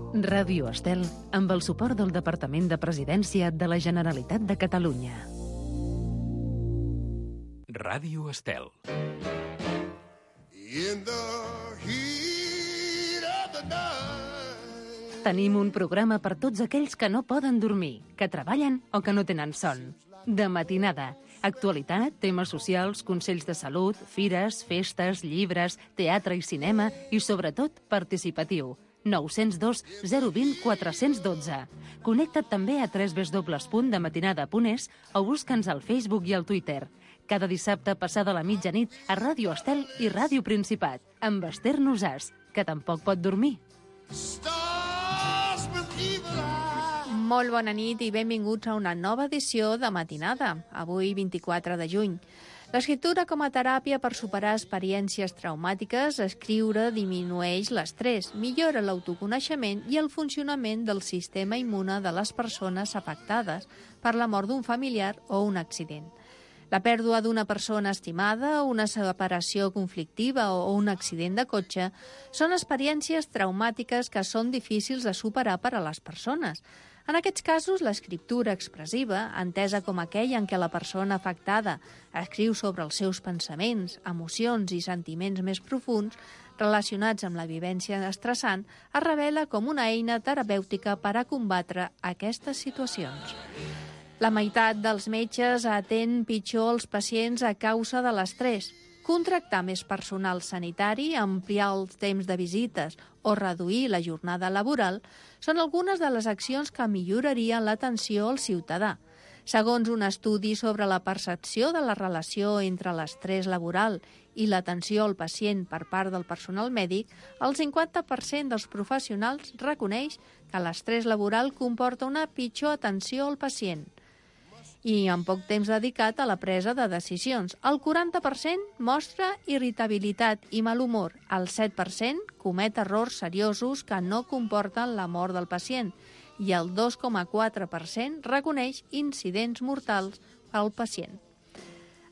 Ràdio Estel, amb el suport del Departament de Presidència de la Generalitat de Catalunya. Ràdio Estel. Tenim un programa per tots aquells que no poden dormir, que treballen o que no tenen son. De matinada. Actualitat, temes socials, consells de salut, fires, festes, llibres, teatre i cinema i, sobretot, participatiu. 902 020 412. Connecta't també a www.dematinada.es o busca'ns al Facebook i al Twitter. Cada dissabte passada la mitjanit a Ràdio Estel i Ràdio Principat, amb Esther Nosàs, que tampoc pot dormir. Molt bona nit i benvinguts a una nova edició de Matinada, avui 24 de juny. L'escriptura com a teràpia per superar experiències traumàtiques, escriure disminueix l'estrès, millora l'autoconeixement i el funcionament del sistema immune de les persones afectades per la mort d'un familiar o un accident. La pèrdua d'una persona estimada, una separació conflictiva o un accident de cotxe són experiències traumàtiques que són difícils de superar per a les persones. En aquests casos, l'escriptura expressiva, entesa com aquella en què la persona afectada escriu sobre els seus pensaments, emocions i sentiments més profuns relacionats amb la vivència estressant, es revela com una eina terapèutica per a combatre aquestes situacions. La meitat dels metges atén pitjor els pacients a causa de l'estrès. Contractar més personal sanitari, ampliar els temps de visites o reduir la jornada laboral són algunes de les accions que millorarien l'atenció al ciutadà. Segons un estudi sobre la percepció de la relació entre l'estrès laboral i l'atenció al pacient per part del personal mèdic, el 50% dels professionals reconeix que l'estrès laboral comporta una pitjor atenció al pacient i amb poc temps dedicat a la presa de decisions. El 40% mostra irritabilitat i mal humor. El 7% comet errors seriosos que no comporten la mort del pacient i el 2,4% reconeix incidents mortals al pacient.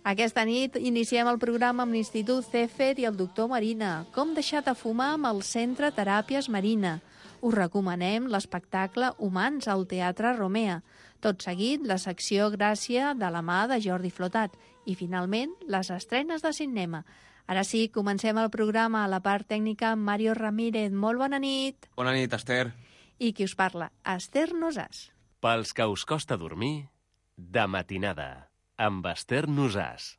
Aquesta nit iniciem el programa amb l'Institut CEFER i el doctor Marina. Com deixar de fumar amb el Centre Teràpies Marina. Us recomanem l'espectacle Humans al Teatre Romea. Tot seguit, la secció Gràcia de la mà de Jordi Flotat. I, finalment, les estrenes de cinema. Ara sí, comencem el programa a la part tècnica amb Mario Ramírez. Molt bona nit. Bona nit, Esther. I qui us parla? Esther Nosàs. Pels que us costa dormir, de matinada, amb Esther Nosàs.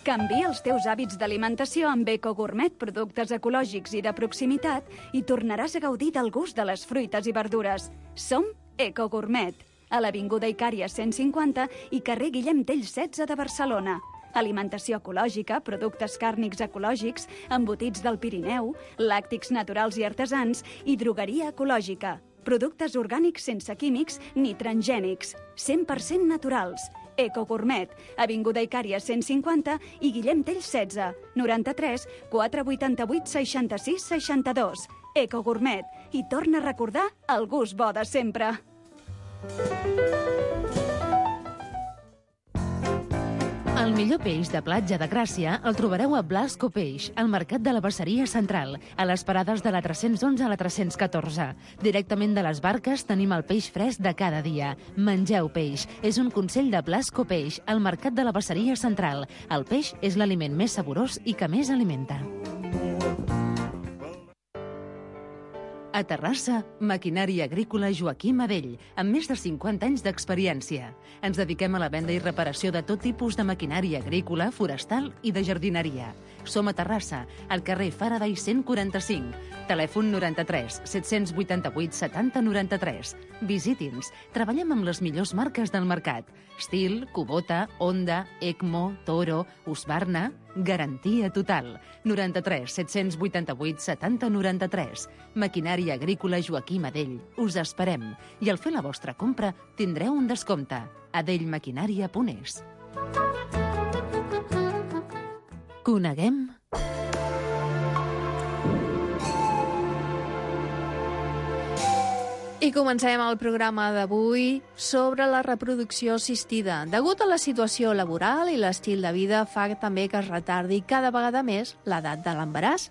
Canvia els teus hàbits d'alimentació amb EcoGourmet, productes ecològics i de proximitat, i tornaràs a gaudir del gust de les fruites i verdures. Som EcoGourmet, a l'Avinguda Icària 150 i carrer Guillem Tell 16 de Barcelona. Alimentació ecològica, productes càrnics ecològics, embotits del Pirineu, làctics naturals i artesans i drogueria ecològica. Productes orgànics sense químics ni transgènics, 100% naturals. EcoGourmet, Avinguda Icària 150 i Guillem Tell 16, 93 488 66 62. EcoGourmet, i torna a recordar el gust bo de sempre. El millor peix de platja de Gràcia el trobareu a Blasco Peix, al Mercat de la Basseria Central, a les parades de la 311 a la 314. Directament de les barques tenim el peix fresc de cada dia. Mengeu peix. És un consell de Blasco Peix, al Mercat de la Basseria Central. El peix és l'aliment més saborós i que més alimenta. A Terrassa, Maquinària Agrícola Joaquim Adell, amb més de 50 anys d'experiència. Ens dediquem a la venda i reparació de tot tipus de maquinària agrícola, forestal i de jardineria. Som a Terrassa, al carrer Faraday 145. Telèfon 93 788 70 93. Visiti'ns. Treballem amb les millors marques del mercat. Stihl, Kubota, Honda, ECMO, Toro, Husqvarna. Garantia total. 93 788 70 93. Maquinària Agrícola Joaquim Adell. Us esperem. I al fer la vostra compra tindreu un descompte. adellmaquinària.es. Coneguem... I comencem el programa d'avui sobre la reproducció assistida. Degut a la situació laboral i l'estil de vida fa també que es retardi cada vegada més l'edat de l'embaràs.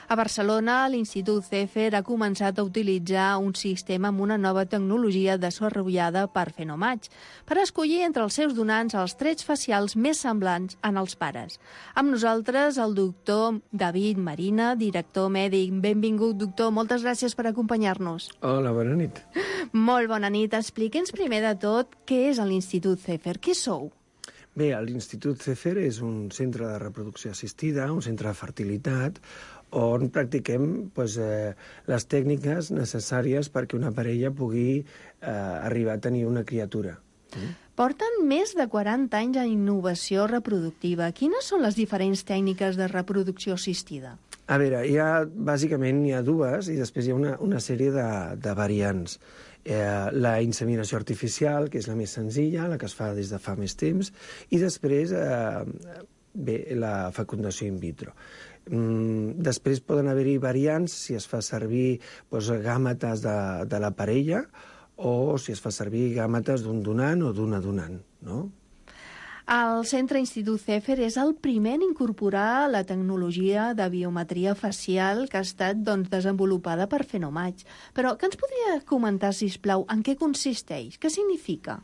A Barcelona, l'Institut CEFER ha començat a utilitzar un sistema amb una nova tecnologia desenvolupada per Fenomatch per escollir entre els seus donants els trets facials més semblants en els pares. Amb nosaltres, el doctor David Marina, director mèdic. Benvingut, doctor. Moltes gràcies per acompanyar-nos. Hola, bona nit. Molt bona nit. Expliqui'ns primer de tot què és l'Institut CEFER. Què sou? Bé, l'Institut CEFER és un centre de reproducció assistida, un centre de fertilitat, on practiquem les tècniques necessàries perquè una parella pugui arribar a tenir una criatura. Porten més de 40 anys en innovació reproductiva. Quines són les diferents tècniques de reproducció assistida? A veure, bàsicament hi ha dues i després hi ha una sèrie de variants. La inseminació artificial, que és la més senzilla, la que es fa des de fa més temps, i després la fecundació in vitro. Després poden haver-hi variants si es fa servir gàmetes de la parella o si es fa servir gàmetes d'un donant o d'una donant, no? El Centre Institut CEFER és el primer en incorporar la tecnologia de biometria facial que ha estat desenvolupada per Fenomatch. Però què ens podria comentar, sisplau, en què consisteix? Què significa?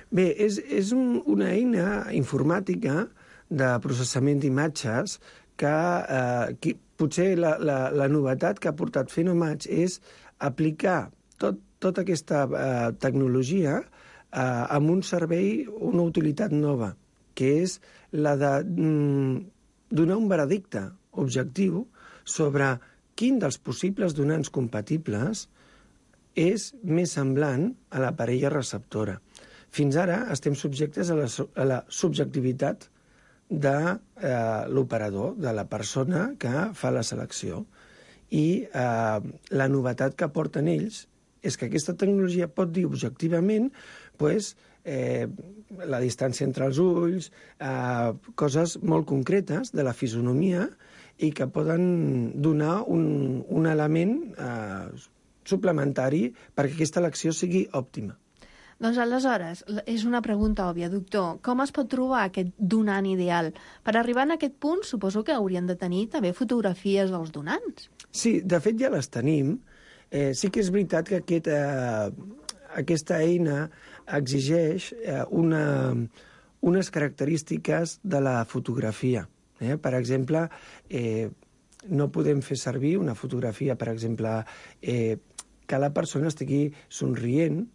Bé, és una eina informàtica de processament d'imatges que potser la novetat que ha portat Fenomatch és aplicar tota aquesta tecnologia amb un servei, una utilitat nova, que és la de donar un veredicte objectiu sobre quin dels possibles donants compatibles és més semblant a la parella receptora. Fins ara estem subjectes a la subjectivitat de l'operador, de la persona que fa la selecció. I la novetat que aporten ells és que aquesta tecnologia pot dir objectivament la distància entre els ulls, coses molt concretes de la fisonomia i que poden donar un element suplementari perquè aquesta elecció sigui òptima. Doncs aleshores, és una pregunta òbvia, doctor. Com es pot trobar aquest donant ideal? Per arribar a aquest punt, suposo que haurien de tenir també fotografies dels donants. Sí, de fet ja les tenim. Sí que és veritat que aquesta eina exigeix unes característiques de la fotografia. Per exemple, no podem fer servir una fotografia, per exemple, que la persona estigui somrient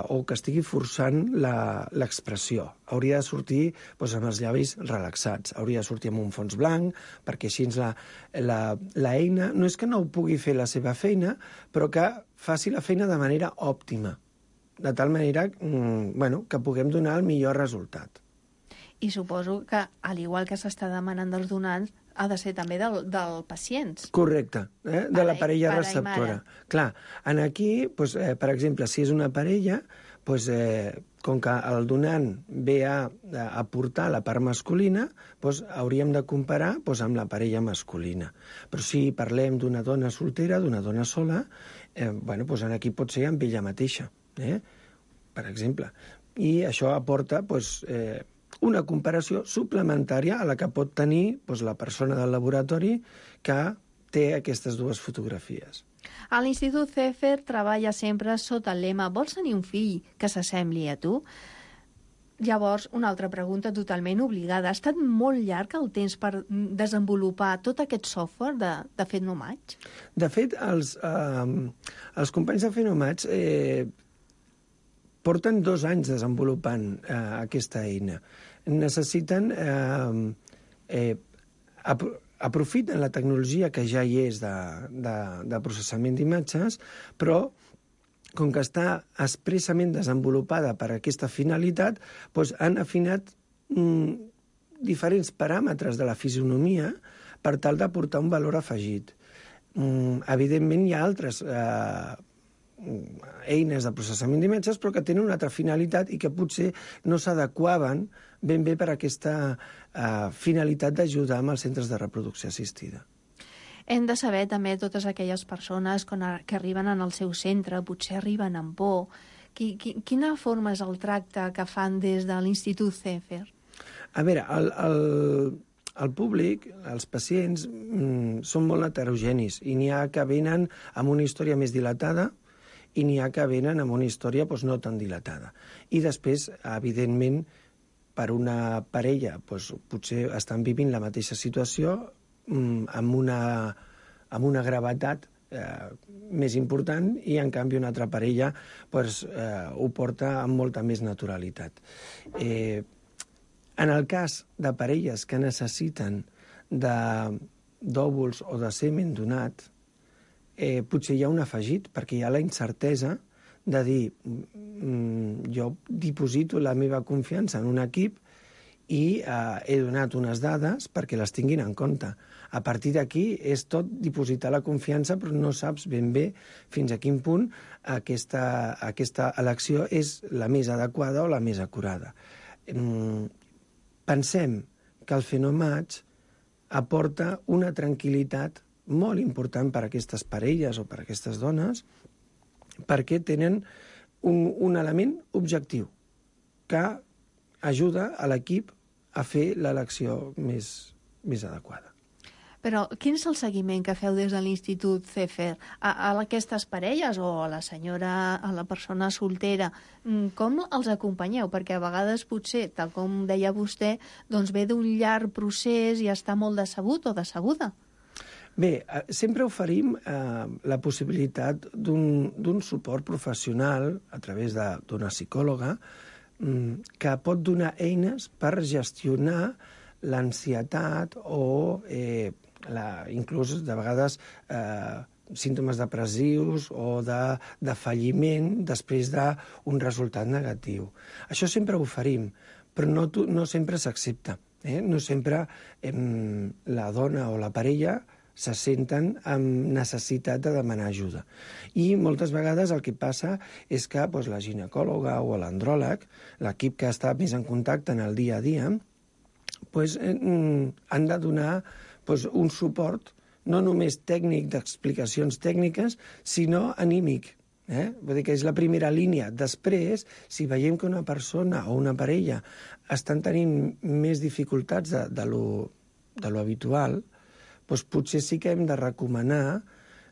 o que estigui forçant l'expressió. Hauria de sortir amb els llavis relaxats, hauria de sortir amb un fons blanc, perquè així l'eina no és que no pugui fer la seva feina, però que faci la feina de manera òptima, de tal manera que puguem donar el millor resultat. I suposo que, al igual que s'està demanant dels donants, ha de ser també del pacients. Correcte, de la parella receptora. Clar, aquí, per exemple, si és una parella, com que el donant ve a aportar la part masculina, hauríem de comparar amb la parella masculina. Però si parlem d'una dona soltera, d'una dona sola, aquí pot ser amb ella mateixa, per exemple. I això aporta una comparació suplementària a la que pot tenir la persona del laboratori que té aquestes dues fotografies. A l'Institut CEFER treballa sempre sota el lema «Vols tenir un fill que s'assembli a tu?» Llavors, una altra pregunta totalment obligada. Ha estat molt llarg el temps per desenvolupar tot aquest software de Fenomatch? De fet, els companys de Fenomatch porten 2 anys desenvolupant aquesta eina. Necessiten aprofiten la tecnologia que ja hi és de processament d'imatges, però com que està expressament desenvolupada per a aquesta finalitat, han afinat diferents paràmetres de la fisonomia per tal d'aportar un valor afegit. Evidentment, hi ha altres eines de processament d'imatges, però que tenen una altra finalitat i que potser no s'adequaven ben bé per a aquesta finalitat d'ajudar amb els centres de reproducció assistida. Hem de saber també totes aquelles persones que arriben en el seu centre, potser arriben amb por. Quina forma és el tracte que fan des de l'Institut CEFER? A veure, el públic, els pacients, són molt heterogenis i n'hi ha que venen amb una història més dilatada i n'hi ha que venen amb una història no tan dilatada. I després, evidentment, per una parella potser estan vivint la mateixa situació amb una gravetat més important i, en canvi, una altra parella ho porta amb molta més naturalitat. En el cas de parelles que necessiten d'òvuls o de semen donat, potser hi ha un afegit, perquè hi ha la incertesa de dir jo diposito la meva confiança en un equip i he donat unes dades perquè les tinguin en compte. A partir d'aquí és tot dipositar la confiança, però no saps ben bé fins a quin punt aquesta elecció és la més adequada o la més acurada. Pensem que el fenomatge aporta una tranquil·litat molt important per a aquestes parelles o per a aquestes dones, perquè tenen un element objectiu que ajuda a l'equip a fer l'elecció més adequada. Però quin és el seguiment que feu des de l'Institut CEFER a aquestes parelles o a la senyora, a la persona soltera? Com els acompanyeu? Perquè a vegades potser, tal com deia vostè, doncs ve d'un llarg procés i està molt decebut o decebuda. Bé, sempre oferim la possibilitat d'un suport professional a través d'una psicòloga que pot donar eines per gestionar l'ansietat o inclús de vegades símptomes depressius o de falliment després d'un resultat negatiu. Això sempre ho oferim, però no sempre s'accepta. No sempre la dona o la parella se senten amb necessitat de demanar ajuda. I moltes vegades el que passa és que la ginecòloga o l'andròleg, l'equip que està més en contacte en el dia a dia, han de donar un suport no només tècnic d'explicacions tècniques, sinó anímic. Vull dir que és la primera línia. Després, si veiem que una persona o una parella estan tenint més dificultats de lo habitual, potser sí que hem de recomanar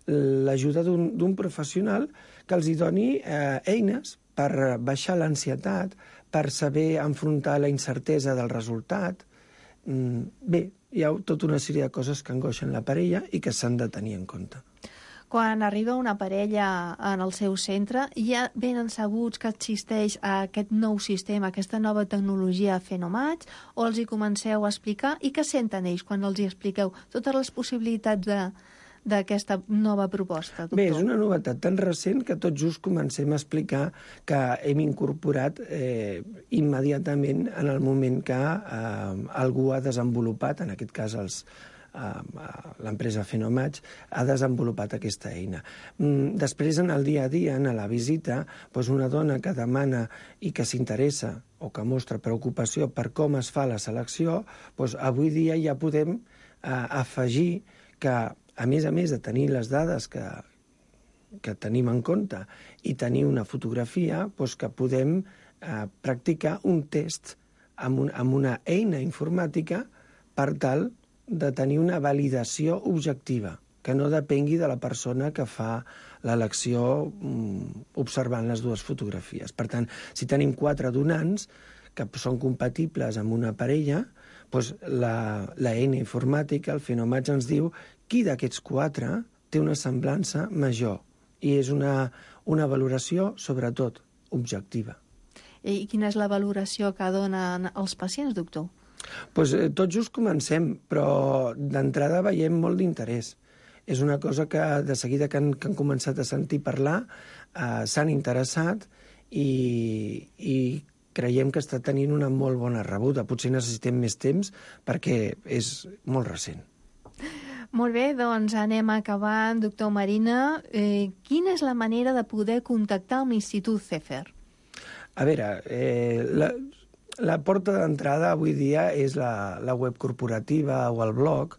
l'ajuda d'un professional que els doni eines per baixar l'ansietat, per saber enfrontar la incertesa del resultat. Bé, hi ha tota una sèrie de coses que angoixen la parella i que s'han de tenir en compte. Quan arriba una parella en el seu centre, ja venen sabuts que existeix aquest nou sistema, aquesta nova tecnologia Fenomatch, o els hi comenceu a explicar? I què senten ells quan els hi expliqueu totes les possibilitats d'aquesta nova proposta, doctor? Bé, és una novetat tan recent que tot just comencem a explicar que hem incorporat immediatament en el moment que algú ha desenvolupat, en aquest cas l'empresa Fenomatch ha desenvolupat aquesta eina. Després, en el dia a dia, en la visita, una dona que demana i que s'interessa o que mostra preocupació per com es fa la selecció, avui dia ja podem afegir que, a més de tenir les dades que tenim en compte i tenir una fotografia, que podem practicar un test amb una eina informàtica per tal de tenir una validació objectiva, que no depengui de la persona que fa l'elecció observant les dues fotografies. Per tant, si tenim 4 donants que són compatibles amb una parella, l'eina informàtica, el Fenomatch, ens diu qui d'aquests 4 té una semblança major. I és una valoració, sobretot, objectiva. I quina és la valoració que donen els pacients, doctor? Tot just comencem, però d'entrada veiem molt d'interès. És una cosa que de seguida que han començat a sentir parlar s'han interessat i creiem que està tenint una molt bona rebuda. Potser necessitem més temps perquè és molt recent. Molt bé, doncs anem acabant. Doctor Marina, quina és la manera de poder contactar amb l'Institut CEFER? A veure, la porta d'entrada avui dia és la web corporativa o el blog,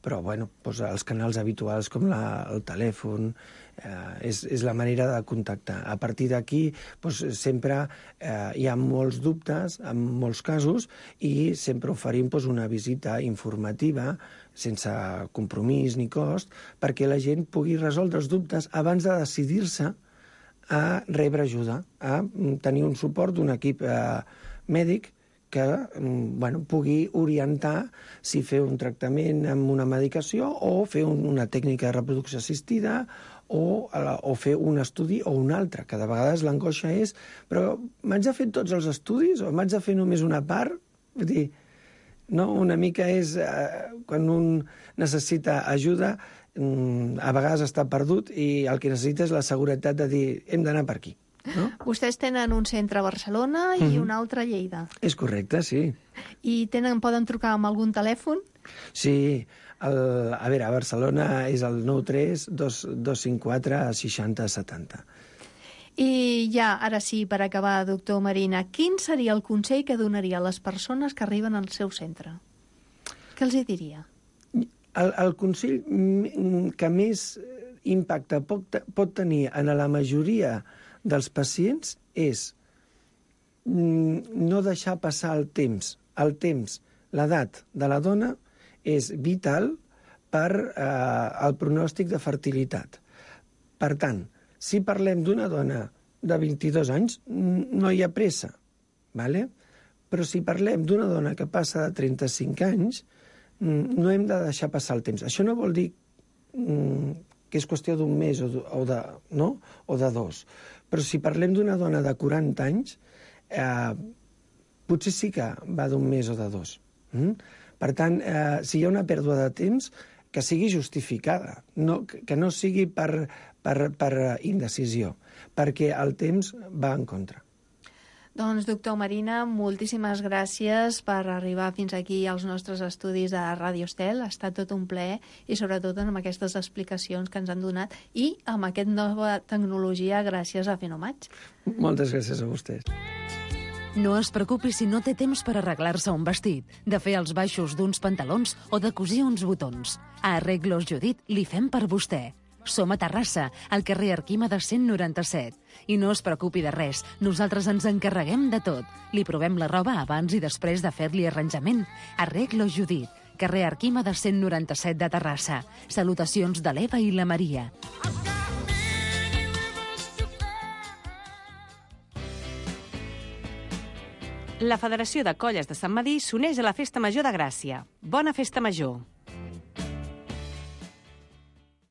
però doncs els canals habituals com el telèfon és la manera de contactar. A partir d'aquí sempre hi ha molts dubtes en molts casos i sempre oferim una visita informativa sense compromís ni cost perquè la gent pugui resoldre els dubtes abans de decidir-se a rebre ajuda, a tenir un suport d'un equip mèdic que pugui orientar si fer un tractament amb una medicació o fer una tècnica de reproducció assistida o fer un estudi o un altre, que de vegades l'angoixa és però m'haig de fer tots els estudis o m'haig de fer només una part? Vull dir, no? Una mica és quan un necessita ajuda, a vegades està perdut i el que necessita és la seguretat de dir hem d'anar per aquí. No? Vostès tenen un centre a Barcelona i un altre a Lleida. És correcte, sí. I poden trucar amb algun telèfon? Sí. A Barcelona és el 93 254 60 70. I ja, ara sí, per acabar, doctor Marina, quin seria el consell que donaria a les persones que arriben al seu centre? Què els hi diria? El consell que més impacte pot tenir en la majoria dels pacients és no deixar passar el temps. El temps, l'edat de la dona és vital per al pronòstic de fertilitat. Per tant, si parlem d'una dona de 22 anys, no hi ha pressa, ¿vale? Però si parlem d'una dona que passa de 35 anys, no hem de deixar passar el temps. Això no vol dir que és qüestió d'un mes o de dos. Però si parlem d'una dona de 40 anys, potser sí que va d'un mes o de dos. Per tant, si hi ha una pèrdua de temps, que sigui justificada, que no sigui per indecisió, perquè el temps va en contra. Doncs, doctor Marina, moltíssimes gràcies per arribar fins aquí als nostres estudis de Ràdio Estel. Ha estat tot un plaer i sobretot amb aquestes explicacions que ens han donat i amb aquesta nova tecnologia gràcies a Fenomatch. Moltes gràcies a vostès. No es preocupi si no té temps per arreglar-se un vestit, de fer els baixos d'uns pantalons o de cosir uns botons. A Arreglos Judit li fem per vostè. Som a Terrassa, al carrer Arquímedes 197. I no es preocupi de res, nosaltres ens encarreguem de tot. Li provem la roba abans i després de fer-li arranjament. Arreglos Judit, carrer Arquímedes 197 de Terrassa. Salutacions de l'Eva i la Maria. La Federació de Colles de Sant Medir s'uneix a la Festa Major de Gràcia. Bona Festa Major!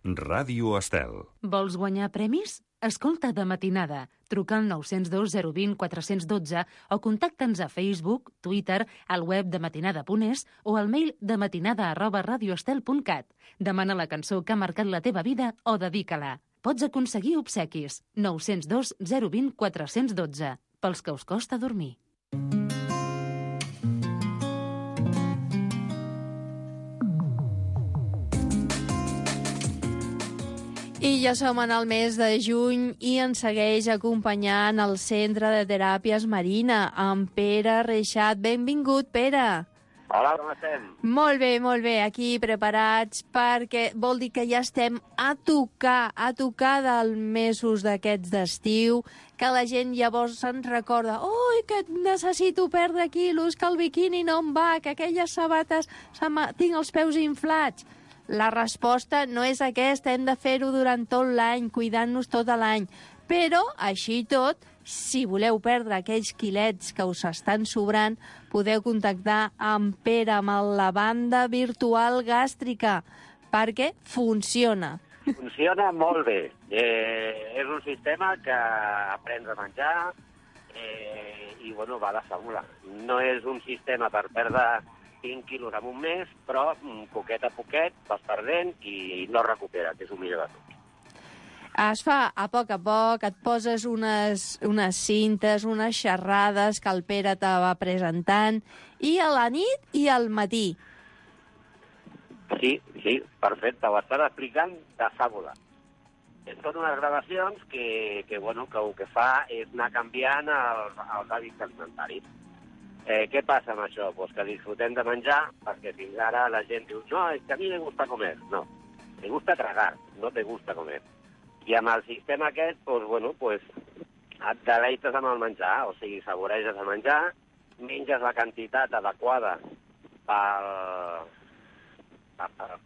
Ràdio Estel. Vols guanyar premis? Escolta de matinada. Truca al 902 020 412 o contacta'ns a Facebook, Twitter, al web de matinada.es o al mail de matinada@radioestel.cat. Demana la cançó que ha marcat la teva vida o dedica-la. Pots aconseguir obsequis. 902 020 412. Pels que us costa dormir. I ja som en el mes de juny i ens segueix acompanyant el Centre de Teràpies Marina, amb Pere Reixat. Benvingut, Pere. Hola, com estem? Molt bé, aquí preparats perquè vol dir que ja estem a tocar dels mesos d'aquests d'estiu, que la gent llavors se'n recorda oi, que necessito perdre quilos, que el biquini no em va, que aquelles sabates tinc els peus inflats. La resposta no és aquesta, hem de fer-ho durant tot l'any, cuidant-nos tot l'any. Però, així i tot, si voleu perdre aquells quilets que us estan sobrant, podeu contactar amb Pere, amb la banda virtual gàstrica, perquè funciona. Funciona molt bé. És un sistema que aprens a menjar i, va de fórmula. No és un sistema per perdre 5 quilos en un mes, però poquet a poquet vas perdent i no recupera, que és el millor de tot. Es fa a poc, et poses unes cintes, unes xerrades que el Pere te va presentant, i a la nit i al matí. Sí, perfecte, ho estàs explicant de fàbula. Són unes gravacions que el que fa és anar canviant els hàbits alimentaris. Què passa amb això? Pues que disfrutem de menjar, perquè fins ara la gent diu no, és que a mi me gusta comer. No, me gusta tragar, no te gusta comer. I amb el sistema aquest, pues, et deleites amb el menjar, o sigui, saboreges el menjar, menges la quantitat adequada per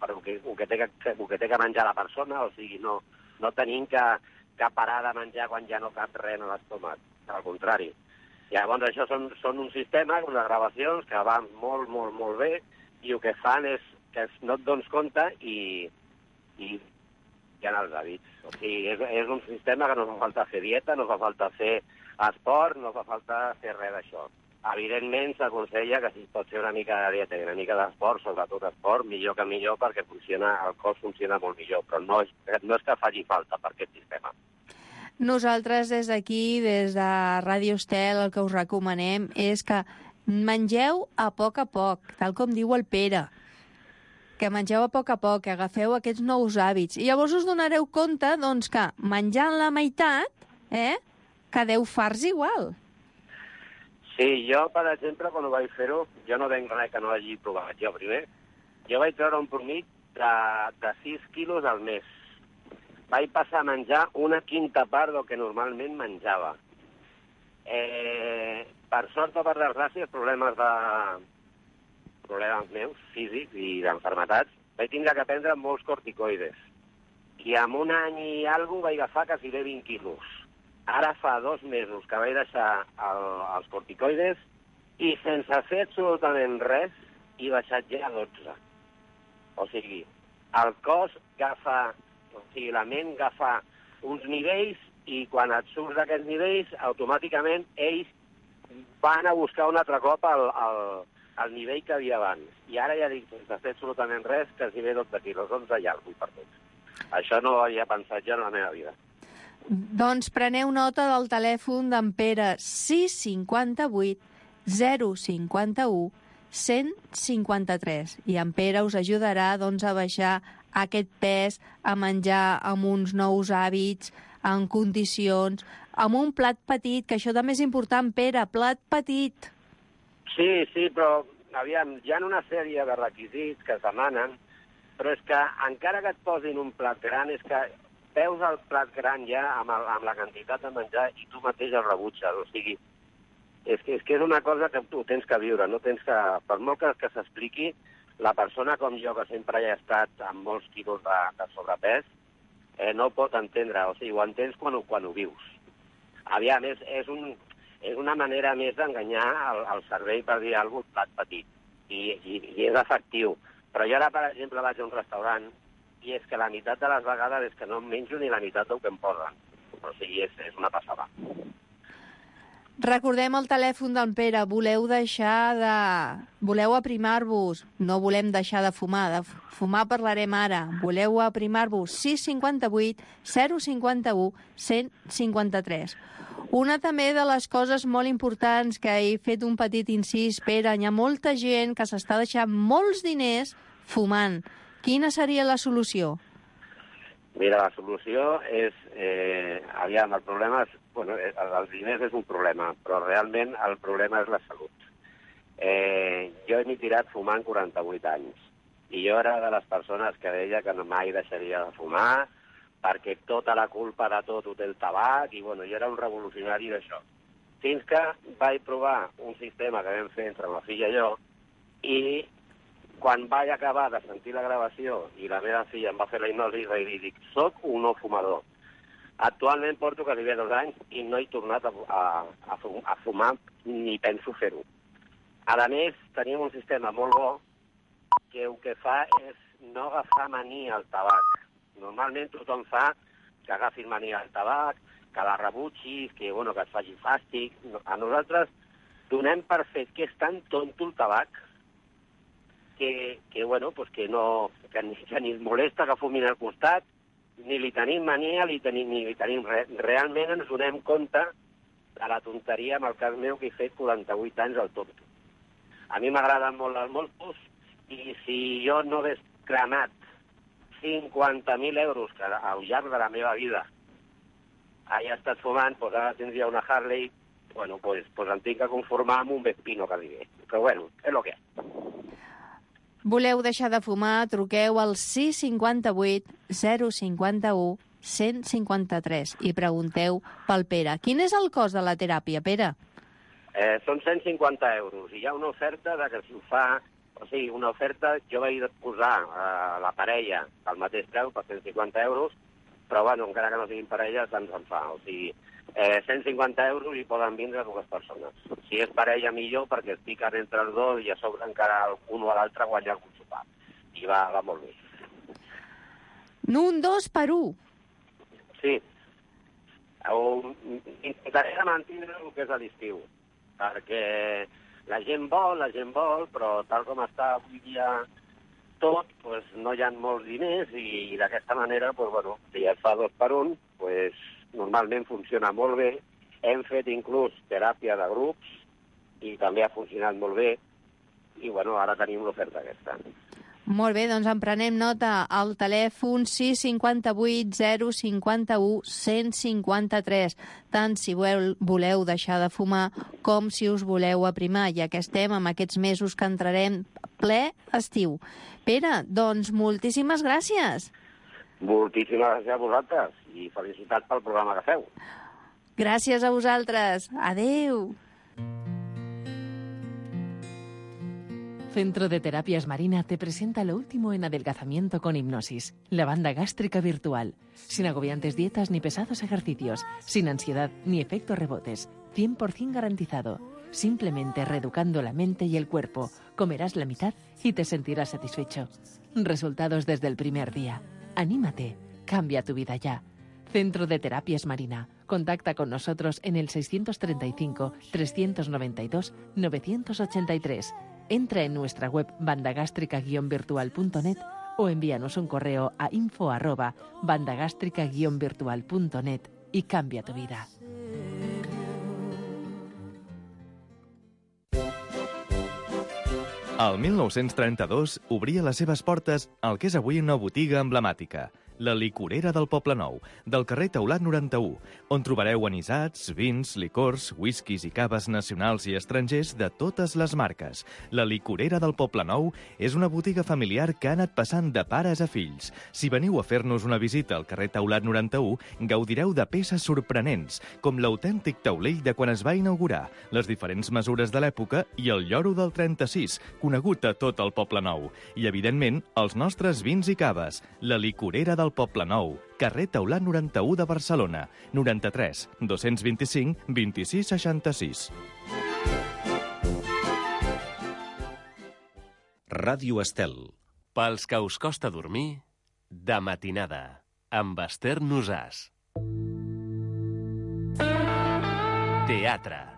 el que té que menjar la persona, o sigui, no tenim que parar de menjar quan ja no cap res a l'estómac, al contrari. Llavors, això són un sistema, unes gravacions que van molt, molt, molt bé, i el que fan és que no et dones compte i hi ha els hàbits. O sigui, és un sistema que no fa falta fer dieta, no fa falta fer esport, no fa falta fer res d'això. Evidentment, s'aconsella que si es pot fer una mica de dieta i una mica d'esport, sobretot esport, millor que millor, perquè el cos funciona molt millor, però no és que faci falta per aquest sistema. Nosaltres des d'aquí, des de Ràdio Estel, el que us recomanem és que mengeu a poc, tal com diu el Pere. Que mengeu a poc, que agafeu aquests nous hàbits. I llavors us donareu compte, doncs, que menjant la meitat, quedeu farts igual. Sí, jo, per exemple, quan ho vaig fer-ho, jo no venc res que no hagi provat jo primer. Jo vaig treure un promit de 6 quilos al mes. Vaig passar a menjar una quinta part del que normalment menjava. Per sort o per desgràcia, problemes meus, físics i d'enfermetats, vaig tindre que prendre molts corticoides. I en un any i alguna vaig agafar quasi 20 quilos. Ara fa 2 mesos que vaig deixar els corticoides i sense fer absolutament res he baixat ja a 12. O sigui, el cos agafa... O sigui, la ment agafa uns nivells i quan et surts d'aquests nivells, automàticament ells van a buscar un altre cop el nivell que havia abans. I ara ja dic, sense fer absolutament res, que si ve 12 quilos, 11 i alguna per tots. Això no ho havia pensat jo en la meva vida. Doncs preneu nota del telèfon d'en Pere, 658 051 153. I en Pere us ajudarà doncs, a baixar aquest pes, a menjar amb uns nous hàbits, en condicions, amb un plat petit, que això també és important, Pere, plat petit. Sí, però, aviam, hi ha una sèrie de requisits que es demanen, però és que encara que et posin un plat gran, és que veus el plat gran ja amb la quantitat de menjar i tu mateix el rebutges. O sigui, és que és una cosa que tu tens que viure, no tens que... Per molt que s'expliqui, la persona com jo, que sempre hi ha estat amb molts quilos de sobrepès, no ho pot entendre. O sigui, ho entens quan ho vius. Aviam, és una manera més d'enganyar el cervell per dir alguna cosa, plat petit. I és efectiu. Però jo ara, per exemple, vaig a un restaurant i és que la meitat de les vegades és que no em menjo ni la meitat del que em posen. O sigui, és una passada. Recordem el telèfon d'en Pere. Voleu aprimar-vos? No volem deixar de fumar. De fumar parlarem ara. Voleu aprimar-vos? 658 051 153. Una també de les coses molt importants que he fet un petit incís, Pere, hi ha molta gent que s'està deixant molts diners fumant. Quina seria la solució? Mira, la solució és... aviam, el problema és... Bueno, els diners és un problema, però realment el problema és la salut. Jo m'he tirat fumant 48 anys. I jo era de les persones que deia que no mai deixaria de fumar, perquè tota la culpa de tot ho té el tabac, i bueno, jo era un revolucionari d'això. Fins que vaig provar un sistema que vam fer entre la filla i jo, i quan vaig acabar de sentir la gravació i la meva filla em va fer la hipnosi, i dic, soc un no fumador. Actualment porto quasi 2 anys i no he tornat a fumar ni penso fer-ho. A més, tenim un sistema molt bo que el que fa és no agafar mania al tabac. Normalment tothom fa que agafis mania al tabac, que la rebutgis, que et faci fàstic. A nosaltres donem per fet que és tan tonto el tabac que ni ens molesta que fumin al costat, ni li tenim mania, ni li tenim res. Realment ens donem compte de la tonteria, en el cas meu, que he fet 48 anys al tonto. A mi m'agraden molt els moltos, i si jo no hagués cremat 50.000 euros que al llarg de la meva vida he estat fumant, doncs ara tindria una Harley bueno, pues em tinc que conformar amb un Vespino quasi bé. Però bueno, és el que és. Voleu deixar de fumar? Truqueu al 658 051 153 i pregunteu pel Pere. Quin és el cost de la teràpia, Pere? Són 150 euros i hi ha una oferta de que si ho fa... O sigui, una oferta, jo vaig posar la parella al mateix preu, per 150 euros, però, bueno, encara que no siguin parelles, tant se'n fa. O sigui, 150 euros i poden vindre dues persones. Si és parella, millor, perquè es piquen entre els dos i a sobre encara un o l'altre guanya algun sopar. I va molt bé. Un 2 per 1. Sí. Intentaré mantenir el que és a l'estiu, perquè la gent vol, però tal com està avui dia tot, pues, no hi ha molts diners i d'aquesta manera, pues, bueno, si es fa 2 per 1, pues, normalment funciona molt bé. Hem fet inclús teràpia de grups i també ha funcionat molt bé i, bueno, ara tenim l'oferta aquesta. Molt bé, doncs en prenem nota al telèfon 658 051 153, tant si voleu deixar de fumar com si us voleu aprimar, ja que estem en aquests mesos que entrarem ple estiu. Pere, doncs moltíssimes gràcies. Moltíssimes gràcies a vosaltres i felicitats pel programa que feu. Gràcies a vosaltres. Adeu. Centro de Terapias Marina te presenta lo último en adelgazamiento con hipnosis, la banda gástrica virtual, sin agobiantes dietas ni pesados ejercicios, sin ansiedad ni efectos rebotes, 100% garantizado. Simplemente reeducando la mente y el cuerpo, comerás la mitad y te sentirás satisfecho. Resultados desde el primer día. Anímate, cambia tu vida ya. Centro de Terapias Marina. Contacta con nosotros en el 635 392 983. Entra en nuestra web bandagástrica-virtual.net o envíanos un correo a info@bandagástrica-virtual.net y cambia tu vida. El 1932 obria les seves portes al que és avui una botiga emblemàtica, la Licorera del Poblenou, del carrer Teulat 91, on trobareu anisats, vins, licors, whiskies i caves nacionals i estrangers de totes les marques. La Licorera del Poblenou és una botiga familiar que ha anat passant de pares a fills. Si veniu a fer-nos una visita al carrer Teulat 91, gaudireu de peces sorprenents, com l'autèntic taulell de quan es va inaugurar, les diferents mesures de l'època i el lloro del 36, conegut a tot el Poblenou. I, evidentment, els nostres vins i caves. La Licorera del Poblenou, carrer Teulat 91 de Barcelona, 93 225 26 66. Ràdio Estel. Pels que us costa dormir, de matinada, amb Esther Nosàs. Teatre.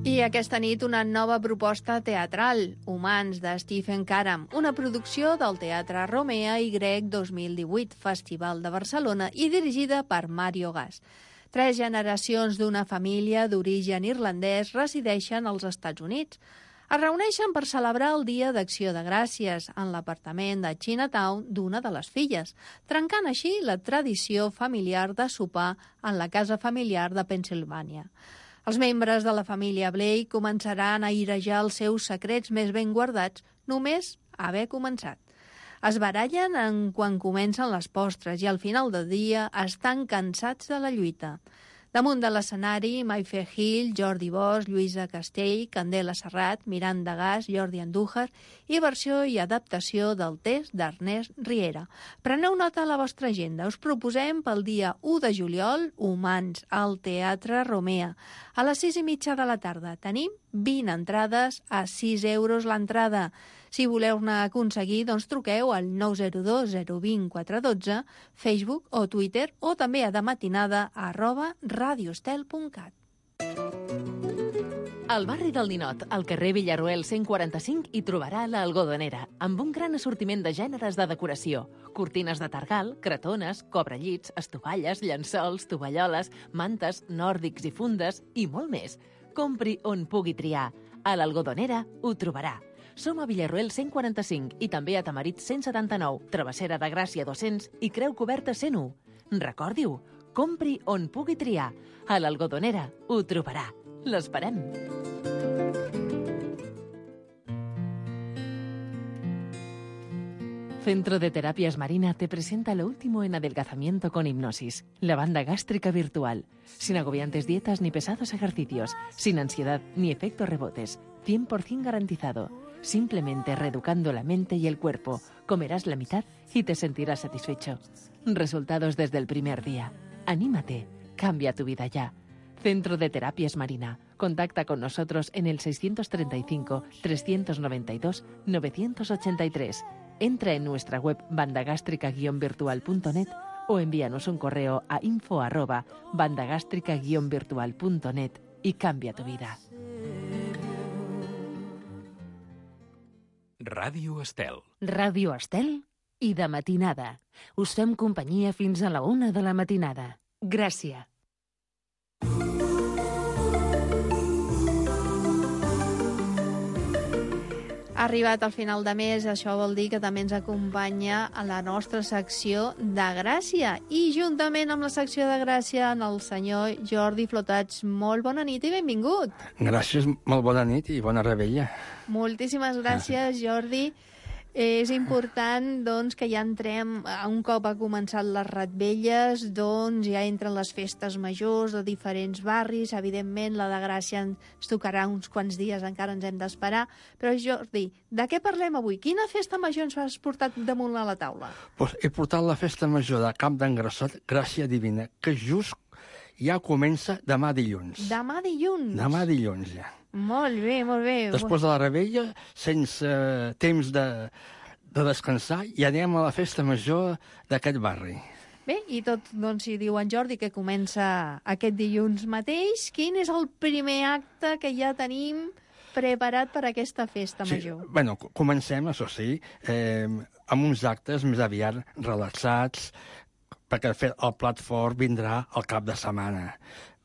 I aquesta nit una nova proposta teatral, Humans, de Stephen Karam, una producció del Teatre Romea i Grec 2018, Festival de Barcelona, i dirigida per Mario Gas. 3 generacions d'una família d'origen irlandès resideixen als Estats Units. Es reuneixen per celebrar el Dia d'Acció de Gràcies en l'apartament de Chinatown d'una de les filles, trencant així la tradició familiar de sopar en la casa familiar de Pennsilvània. Els membres de la família Blake començaran a airejar els seus secrets més ben guardats només haver començat. Es barallen quan comencen les postres i al final del dia estan cansats de la lluita. Damunt de l'escenari, Mayfair Hill, Jordi Bosch, Lluïsa Castell, Candela Serrat, Miranda Gas, Jordi Andújar i versió i adaptació del text d'Ernest Riera. Preneu nota a la vostra agenda. Us proposem pel dia 1 de juliol Humans al Teatre Romea a les 6:30 de la tarda. Tenim 20 entrades a 6 euros l'entrada. Si voleu-ne aconseguir, doncs truqueu al 902 020 412, Facebook o Twitter, o també a dematinada@radioestel.cat. Al barri del Ninot, al carrer Villarroel 145, hi trobarà l'Algodonera, amb un gran assortiment de gèneres de decoració. Cortines de targal, cretones, cobrellits, estovalles, llençols, tovalloles, mantes, nòrdics i fundes, i molt més. Compri on pugui triar. A l'Algodonera ho trobarà. Som a Villarroel 145 i també a Tamarit 179, Travessera de Gràcia 200 i Creu Coberta 101. Recordi-ho, Compri on pugui triar. A l'Algodonera ho trobarà. L'esperem. Centro de Terapias Marina te presenta lo último en adelgazamiento con hipnosis, la banda gástrica virtual, sin agobiantes dietas ni pesados ejercicios, sin ansiedad ni efectos rebotes, 100% garantizado. Simplemente reeducando la mente y el cuerpo, comerás la mitad y te sentirás satisfecho. Resultados desde el primer día. Anímate, cambia tu vida ya. Centro de Terapias Marina. Contacta con nosotros en el 635-392-983. Entra en nuestra web bandagástrica-virtual.net o envíanos un correo a info@bandagástrica-virtual.net y cambia tu vida. Ràdio Estel. Ràdio Estel i de matinada. Us fem companyia fins a la 1 de la matinada. Gràcies. Ha arribat al final de mes, això vol dir que també ens acompanya a la nostra secció de Gràcia. I juntament amb la secció de Gràcia, en el senyor Jordi Flotats. Molt bona nit i benvingut. Gràcies, molt bona nit i bona rebella. Moltíssimes gràcies, Jordi. És important, doncs, que ja entrem, un cop ha començat les Retvelles, doncs ja entren les festes majors de diferents barris. Evidentment, la de Gràcia ens tocarà uns quants dies, encara ens hem d'esperar. Però, Jordi, de què parlem avui? Quina festa major ens has portat damunt a la taula? Pues he portat la festa major de Camp d'en Grassot, Gràcia Divina, que just ja comença demà dilluns. Demà dilluns? Demà dilluns, ja. Molt bé, molt bé. Després de la rebella, sense temps de descansar, i anem a la festa major d'aquest barri. Bé, i tot, doncs, si diu en Jordi que comença aquest dilluns mateix, quin és el primer acte que ja tenim preparat per aquesta festa major? Sí, bueno, comencem, això sí, amb uns actes més aviat relaxats, perquè el plat fort vindrà al cap de setmana.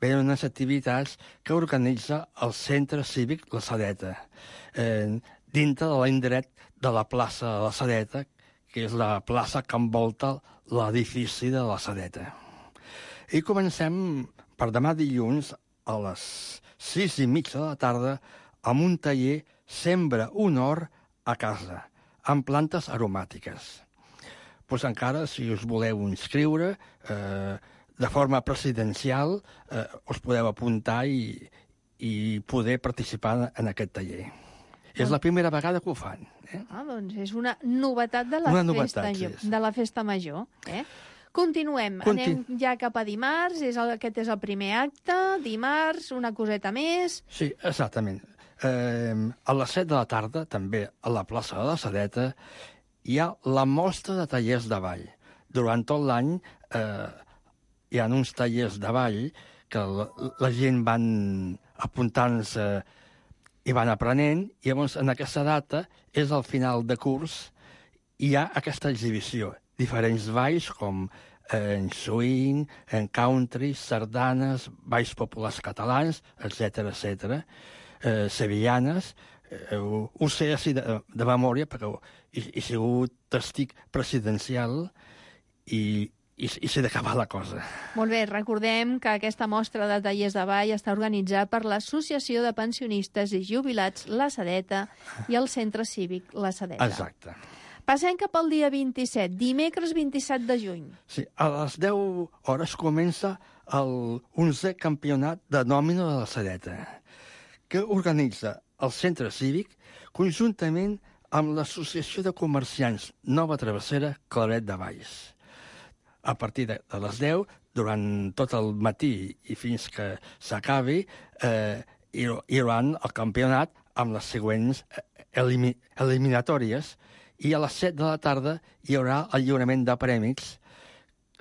Venen unes activitats que organitza el Centre Cívic La Sedeta, dintre de l'indret de la plaça de La Sedeta, que és la plaça que envolta l'edifici de La Sedeta. I comencem per demà dilluns a les 6:30 de la tarda amb un taller Sembra un hort a casa, amb plantes aromàtiques. Pues encara, si us voleu inscriure, de forma presidencial, us podeu apuntar i poder participar en aquest taller. És la primera vegada que ho fan. Doncs és una novetat de la festa major. Continuem. Anem ja cap a dimarts. Aquest és el primer acte. Dimarts, una coseta més. Sí, exactament. A les 7 de la tarda, també a la plaça de La Sedeta, hi ha la mostra de tallers de ball. Durant tot l'any hi ha uns tallers de ball que la gent van apuntant-se i van aprenent, i llavors en aquesta data és el final de curs i hi ha aquesta exhibició. Diferents balls com en swing, en country, sardanes, balls populars catalans, etc., sevillanes. Ho sé així de memòria, però he sigut testig presidencial i sé d'acabar la cosa. Molt bé, recordem que aquesta mostra de tallers de ball està organitzada per l'Associació de Pensionistes i Jubilats La Sedeta i el Centre Cívic La Sedeta. Exacte. Passem cap al dia 27, dimecres 27 de juny. Sí, a les 10 hores comença el 11è campionat de nòmina de La Sedeta, que organitza el Centre Cívic conjuntament amb l'Associació de Comerciants Nova Travessera Claret de Valls. A partir de les 10, durant tot el matí i fins que s'acabi, hi haurà el campionat amb les següents eliminatòries, i a les 7 de la tarda hi haurà el lliurament de prèmits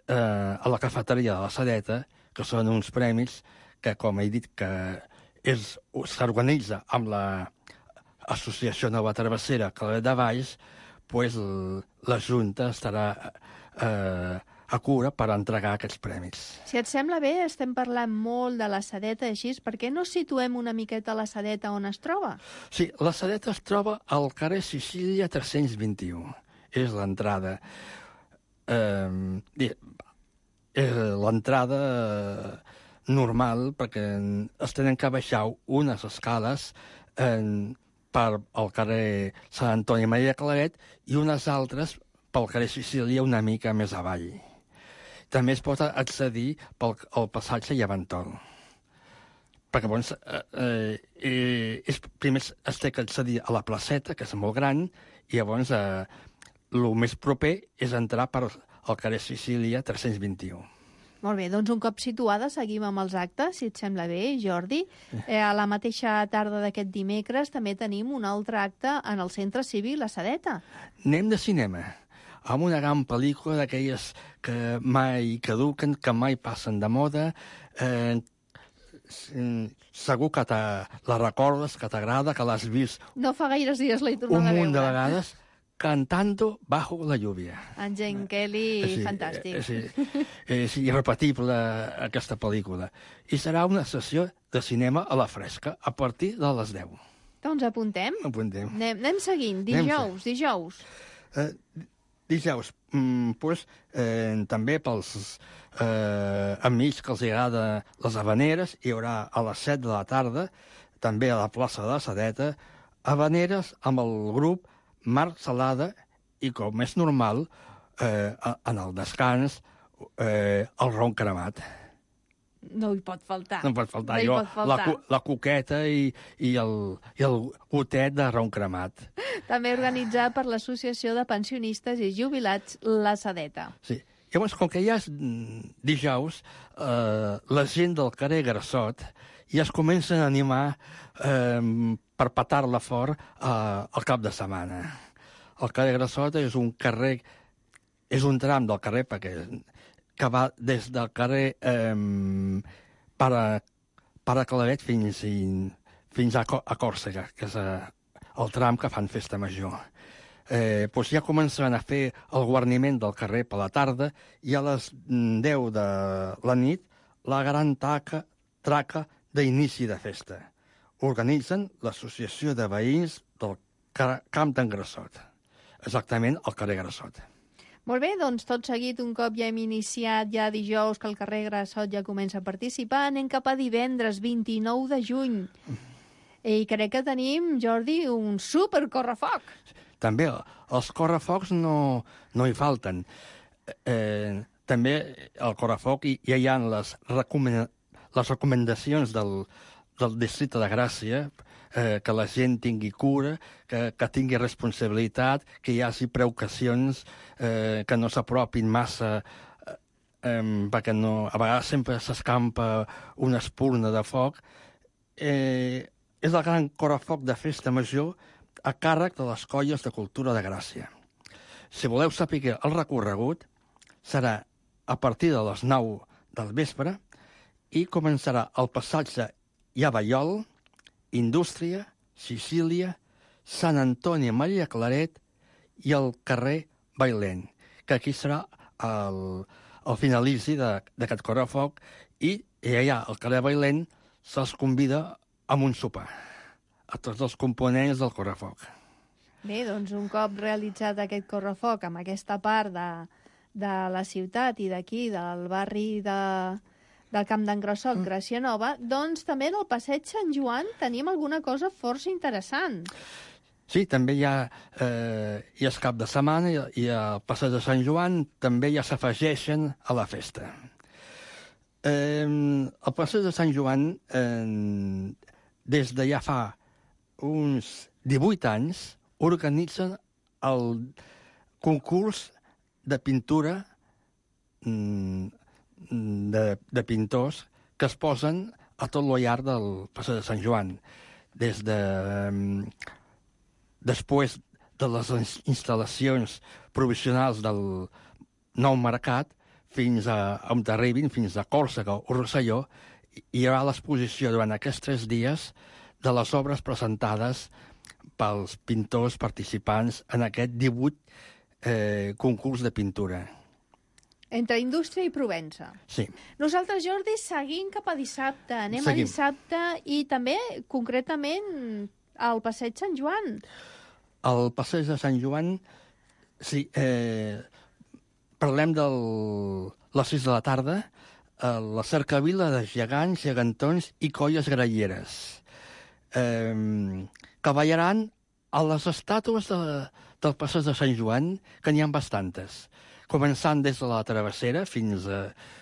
a la cafeteria de La Sedeta, que són uns prèmits que, com he dit, que s'organitza amb l'Associació Nova Travessera Claret de Valls, doncs la Junta estarà a cura per entregar aquests prèmits. Si et sembla bé, estem parlant molt de La Sedeta, així, per què no situem una miqueta La Sedeta on es troba? Sí, La Sedeta es troba al carrer Sicília 321. És l'entrada. l'entrada normal, perquè es tenen que baixar unes escales per al carrer Sant Antoni Maria Claret i unes altres pel carrer Sicília una mica més avall. També es pot accedir pel passatge Llevantol. Perquè llavors, primer es té que accedir a la placeta, que és molt gran, i llavors el més proper és entrar per al carrer Sicília 321. Molt bé, doncs un cop situada seguim amb els actes, si et sembla bé, Jordi. A la mateixa tarda d'aquest dimecres també tenim un altre acte en el Centre Cívic La Sedeta. Anem de cinema, amb una gran pel·lícula d'aquelles que mai caduquen, que mai passen de moda. Segur que la recordes, que t'agrada, que l'has vist No fa gaires dies l'he tornat a veure. un munt de vegades, Cantando bajo la lluvia. En Gene Kelly, Sí, fantàstic. és irrepetible aquesta pel·lícula. I serà una sessió de cinema a la fresca, a partir de les 10. Doncs apuntem. Apuntem. Anem seguint. Dijous. Dijous, també pels amics que els agrada les habaneres, hi haurà a les 7 de la tarda, també a la plaça de la Sedeta, habaneres amb el grup Marc Salada i, com és normal, en el descans, el ron cremat. No hi pot faltar. No pot faltar. No hi pot faltar. La coqueta i el gotet de ron cremat. També organitzat per l'Associació de Pensionistes i Jubilats La Sedeta. Sí. Llavors, com que ja és dijous, la gent del carrer Grassot ja es comencen a animar per petar-la fort al cap de setmana. El carrer Grassot és un carrer, és un tram del carrer que va des del carrer Pare Claret fins a Còrsega, que és el tram que fan festa major. Doncs ja començaran a fer el guarniment del carrer per la tarda i a les 10 de la nit la gran traca d'inici de festa. Organitzen l'Associació de Veïns del Camp d'en Grassot. Exactament al carrer Grassot. Molt bé, doncs tot seguit, un cop ja hem iniciat ja dijous que el carrer Grassot ja comença a participar, anem cap a divendres 29 de juny. I crec que tenim, Jordi, un super correfoc. També els correfocs no hi falten. També al correfoc ja hi ha les recomanacions del districte de Gràcia, que la gent tingui cura, que tingui responsabilitat, que hi hagi precaucions, que no s'apropin massa, perquè a vegades sempre s'escampa una espurna de foc. És el gran correfoc de festa major a càrrec de les colles de cultura de Gràcia. Si voleu saber el recorregut, serà a partir de les 9 del vespre i començarà el passatge Llavallol, Indústria, Sicília, Sant Antoni Maria Claret i el carrer Bailén, que aquí serà el finalici d'aquest correfoc i allà al carrer Bailén se'ls convida amb un sopar a tots els components del correfoc. Bé, doncs un cop realitzat aquest correfoc amb aquesta part de la ciutat i d'aquí, del barri del Camp d'en Grassot, Gràcia Nova, doncs també en el passeig Sant Joan tenim alguna cosa força interessant. Sí, també és cap de setmana i al passeig de Sant Joan també ja s'afegeixen a la festa. El passeig de Sant Joan, des de ja fa uns 18 anys, organitzen el concurs de pintura de pintors que es posen a tot lo llarg del passeig de Sant Joan. Després de les instal·lacions provisionals del Nou Mercat fins on arribin, fins a Còrsega o Rosselló, hi haurà l'exposició durant aquests 3 dies de les obres presentades pels pintors participants en aquest 18 concurs de pintura. Entre Indústria i Provença. Sí. Nosaltres, Jordi, seguim cap a dissabte. Anem a dissabte i també, concretament, al passeig Sant Joan. Al passeig de Sant Joan, sí, parlem les 6 de la tarda, la cercavila de gegants, gegantons i colles gralleres, que ballaran a les estàtues del passeig de Sant Joan, que n'hi ha bastantes, començant des de la Travessera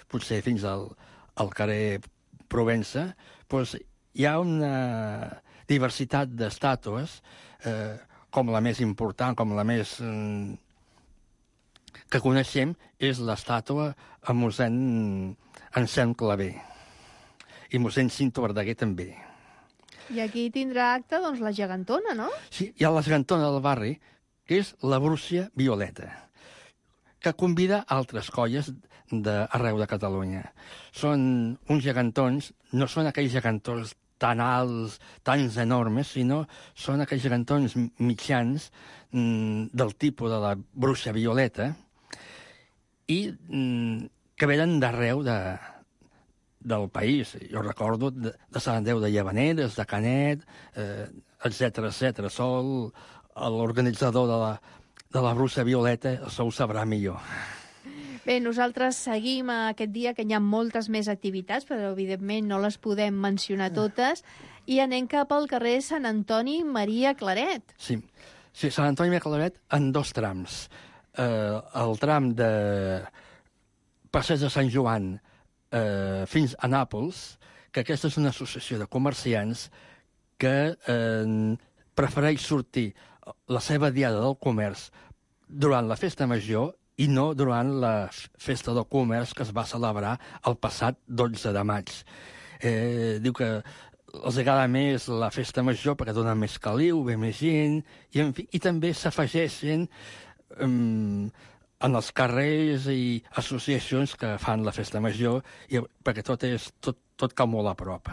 potser fins al carrer Provença. Doncs hi ha una diversitat d'estàtues, com la més important, com la més que coneixem, és l'estàtua a mossèn Anselm Clavé. I mossèn Cinto Verdaguer també. I aquí tindrà acte, doncs, la gegantona, no? Sí, hi ha la gegantona del barri, que és la Brúcia Violeta, que convida altres colles d'arreu de Catalunya. Són uns gegantons, no són aquells gegantons tan alts, tan enormes, sinó són aquells gegantons mitjans del tipus de la Bruixa Violeta i que venen d'arreu del país. Jo recordo de Sant Andreu de Llavaneres, de Canet, etc. Sol, l'organitzador de la Bruixa Violeta, això ho sabrà millor. Bé, nosaltres seguim aquest dia, que hi ha moltes més activitats, però evidentment no les podem mencionar totes, i anem cap al carrer Sant Antoni Maria Claret. Sí, Sant Antoni Maria Claret en 2 trams. El tram de Passeig de Sant Joan fins a Nàpols, que aquesta és una associació de comerciants que prefereix sortir la seva diada del comerç durant la festa major i no durant la festa del comerç que es va celebrar el passat 12 de maig. Diu que els agrada més la festa major perquè dona més caliu, ve més gent, i, en fi, i també s'afegeixen en els carrers i associacions que fan la festa major, perquè tot cau molt a prop.